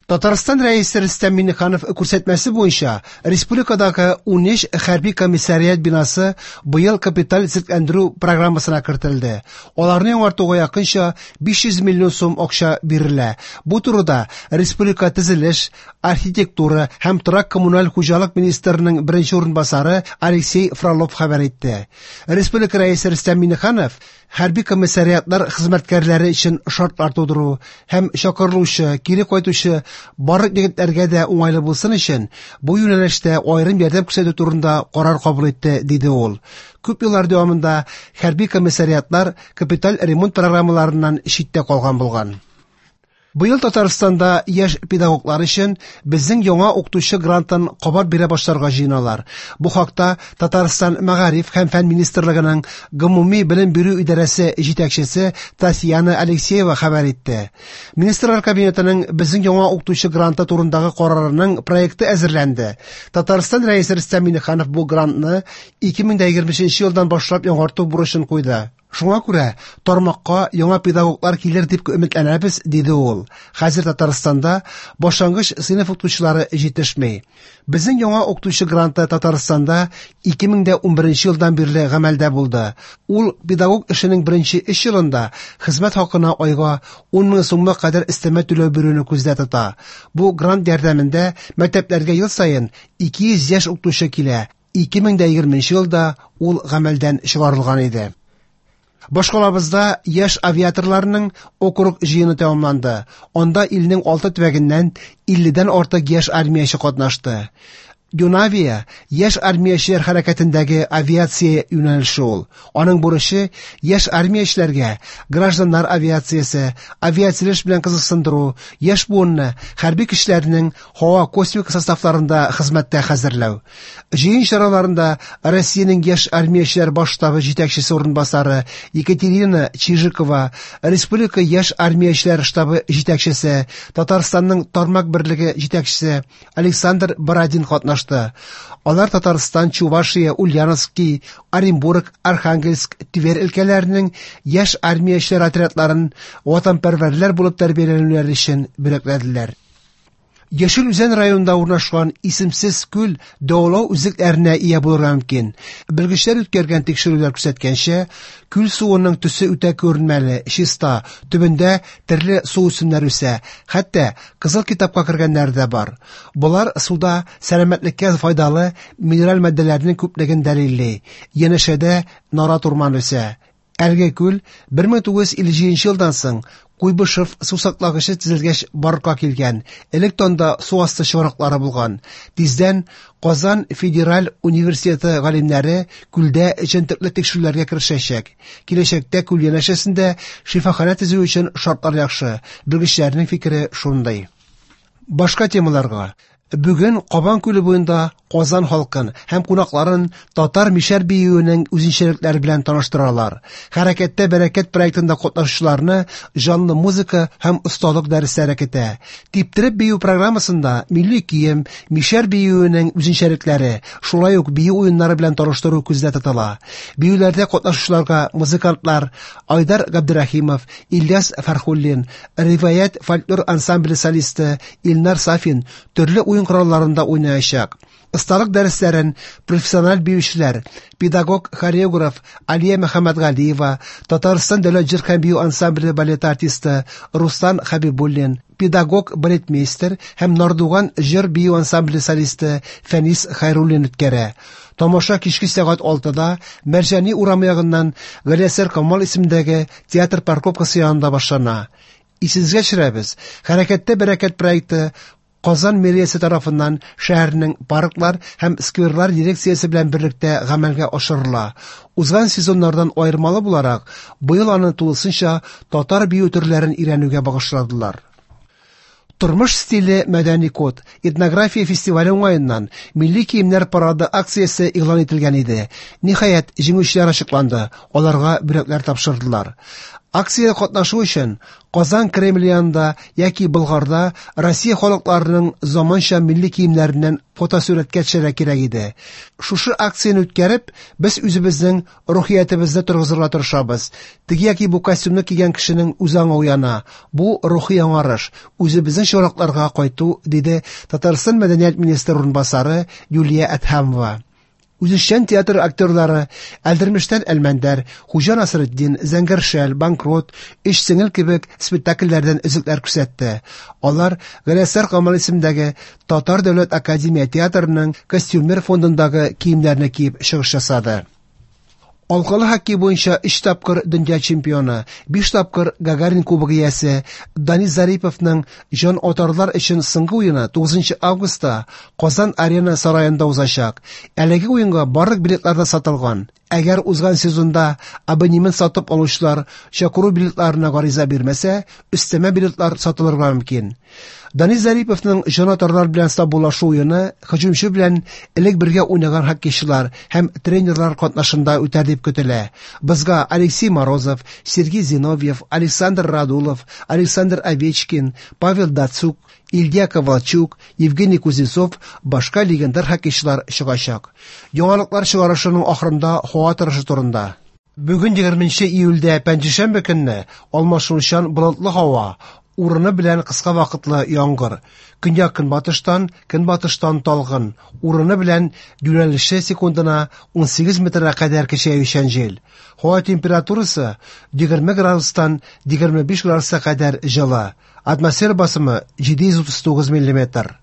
Татарстан Рәисе Рөстәм Миңнеханов күрсәтмәсе буенча республикадагы 13 хәрби комиссариат бинасы быел капиталь төзекләндерү программасына кертелде. Аларны яңартуга якынча 500 миллион сум акча бирелә. Бу турыда республика төзелеш, архитектура һәм торак-коммуналь хуҗалык министрының беренче урынбасары Алексей Фролов хәбәр итте. Республика Рәисе Рөстәм Миңнеханов хәрби комиссариатлар хезмәткәрләре өчен шартлар тудыру һәм чакырылучы, кире кайтучы барлык егетләргә дә уңайлы булсын өчен бу юнәлештә аерым ярдәм күрсәтү турында карар кабул итте, диде ул. Күп еллар дәвамында хәрби комиссариатлар капиталь ремонт программаларыннан читтә калган булган. Быел Татарстанда яшь педагоглар өчен безнең яңа укытучы грантын кабат бирә башларга җыеналар. Бу хакта Татарстан Мәгариф һәм фән министрлыгының гомуми белем бирү идарәсе җитәкчесе Татьяна Алексеева хәбәр итте. Министрлар кабинетының безнең яңа укытучы гранты турындагы карарының проекты әзерләнде. Татарстан Рәисе Рөстәм Миңнеханов бу грантны 2023 елдан башлап яңарту бурычын куйды. Шуңа күрә тармакка яңа педагоглар килер дип өметләнәбез, диде ул. Хәзер Татарстанда башлангыч сыйныф укытучылары җитешми. Безнең яңа укытучы гранты Татарстанда 2011 елдан бирле гамәлдә булды. Ул педагог эшенең беренче 3 елында хезмәт хакына айга 10 мең сумга кадәр өстәмә түләү бирүне күздә тота. Бу грант ярдәмендә мәктәпләргә ел саен 200 яшь укытучы килә. 2020 елда ул гамәлдән чыгарылган иде. Башкалабызда яшь авиаторларның округ җыены тәмамланды. Анда илнең 6 төбәгеннән 50дән артык яшь армияче катнашты. Юнавия яшь армиячеләр хәрәкәтендәге авиация юнәлеше ул. Аның бурычы яшь армиячеләргә гражданнар авиациясе, авиацилеш белән кызыксындыру, яшь буынны хәрби көчләрнең һава космик составларында хезмәттә хәзерләү. Җыен чараларында Россиянең яшь армиячеләр баш штабы җитәкчесе урынбасары Екатерина Чижикова, Республика яшь армиячеләр штабы җитәкчесе, Татарстанның тармак берлеге җитәкчесе Александр Бородин катнашты. Алар Татарстан, Чувашия, Ульяновский, Оренбург, Архангельск, Тверь өлкәләренең яшь армиячеләр отрядларын ватанпәрвәрләр булып тәрбияләнүләре өчен бүләкләделәр. Яшел Үзән районында урнашкан исемсез күл дәвалау үзлекләренә ия булырга мөмкин. Белгечләр үткәргән тикшерүләр күрсәткәнчә, күл суының төсе үтә күренмәле, чиста, төбендә төрле су үсемнәре үсә, хәтта кызыл китапка кергәннәре дә бар. Болар суда сәламәтлеккә файдалы минераль матдәләрнең күплеген дәлилли. Янәшәдә нарат урманы үсә. Әлеге күл 1957 елдан соң Куйбышев су саклагычы төзелгәч барлыкка килгән. Элек танда су асты чыганаклары булган. Тиздән Казан федераль университеты галимнәре күлдә җентекле тикшерүләргә керешәчәк. Киләчәктә күл янәшәсендә шифаханә төзү өчен шартлар яхшы. Белгечләрнең фикере шундый. Башка темаларга. Бүген Кабан күле буенда Казан халкын һәм кунакларын татар мишәр биюенең үзенчәлекләре белән таныштыралар. Хәрәкәттә бәрәкәт проектында катнашучыларны җанлы музыка һәм осталык дәресләре көтә. Типтереп бию программасында милли кием, мишәр биюенең үзенчәлекләре, шулай ук бию уеннары белән таныштыру күздә тотыла. Биюләрдә катнашучыларга музыкантлар Айдар Габдрахимов, Ильяс Фәрхуллин, Риваять фольклор ансамбле солисты Илнар Сафин төрле уен коралларында уйнаячак. Осталык дәресләрен профессиональ биючеләр, педагог, хореограф Алия Мөхәммәтгалиева, Татарстан дәүләт җыр һәм бию ансамбле балет артисты Руслан Хәбибуллин, педагог балетмейстер һәм Нардуган җыр бию ансамбле солисты Фәнис Хайруллин үткәрә. Тамаша кичке сәгать 6-да Мәрҗани урамы ягыннан Галиәсгар Камал исемендәге театр парковкасы янында башлана. Исегезгә төшерәбез, Хәрәкәттә бәрәкәт проекты Казан мэриясе тарафыннан шәһәрнең парклар һәм скверлар дирекциясе белән берлектә гамәлгә ашырыла. Узган сезоннардан аермалы буларак, быел аны тулысынча татар бию төрләрен өйрәнүгә багышладылар. Тормыш стиле мәдәни код этнография фестивале уңаеннан милли киемнәр парады акциясе игълан ителгән иде. Ниһаять, җиңүчеләр ачыкланды. Аларга бүләкләр тапшырдылар. Акциядә катнашу өчен Казан Кремле янында яки Болгарда Россия халыкларының заманча милли киемнәреннән фотосурәткә төшәргә кирәк иде. Шушы акцияне үткәреп, без үзебезнең рухиятебезне торгызырга тырышабыз. Теге яки бу костюмны кигән кешенең үз аңы уяна. Бу рухи яңарыш, үзебезнең чыбыракларга кайту, диде Татарстан мәдәният министры урынбасары Юлия Әдһәмова. Үзешчән театр актерлары Әлдермештән Әлмәндәр, Хуҗа Насретдин, Зәңгәр шәл, Банкрот, Өч сеңел кебек спектакльләрдән өзекләр күрсәтте. Алар Галиәсгар Камал исемендәге Татар дәүләт академия театрының костюмер фондындагы киемнәрне киеп чыгыш ясады. Алкалы хоккей буенча 3 тапкыр дөнья чемпионы, 5 тапкыр Гагарин кубогы иясе Данис Зариповның җан атарлар өчен соңгы уены 9 августта Казан Арена сараенда узачак. Әлеге уенга барлык билетлар да сатылган. Әгәр узган сезонда абонемент сатып алучылар чакыру билетларына гариза бирмәсә, өстәмә билетлар сатылырга мөмкин. Данис Зариповның җанатарлар белән саубуллашу уены һөҗүмче белән элек бергә уйнаган хоккейчылар һәм тренерлар катнашында үтәр дип көтелә. Бозга Алексей Морозов, Сергей Зиновьев, Александр Радулов, Александр Овечкин, Павел Дацюк, Илья Ковальчук, Евгений Кузнецов башка легендар хоккейчылар чыгачак. Яңалыклар чыгарышының ахырында һава торышы турында. Бүген 20 июльдә пәнҗешәмбе көнне алмашынучан болытлы һава, урыны белән кыска вакытлы яңгыр. Көньяк-көнбатыштан, көнбатыштан талгын, урыны белән юнәлеше секундына 18 метрга кадәр көчәючән җил. Һава температурасы 20 градустан 25 градуска кадәр җылы. Атмосфера басымы 739 миллиметр.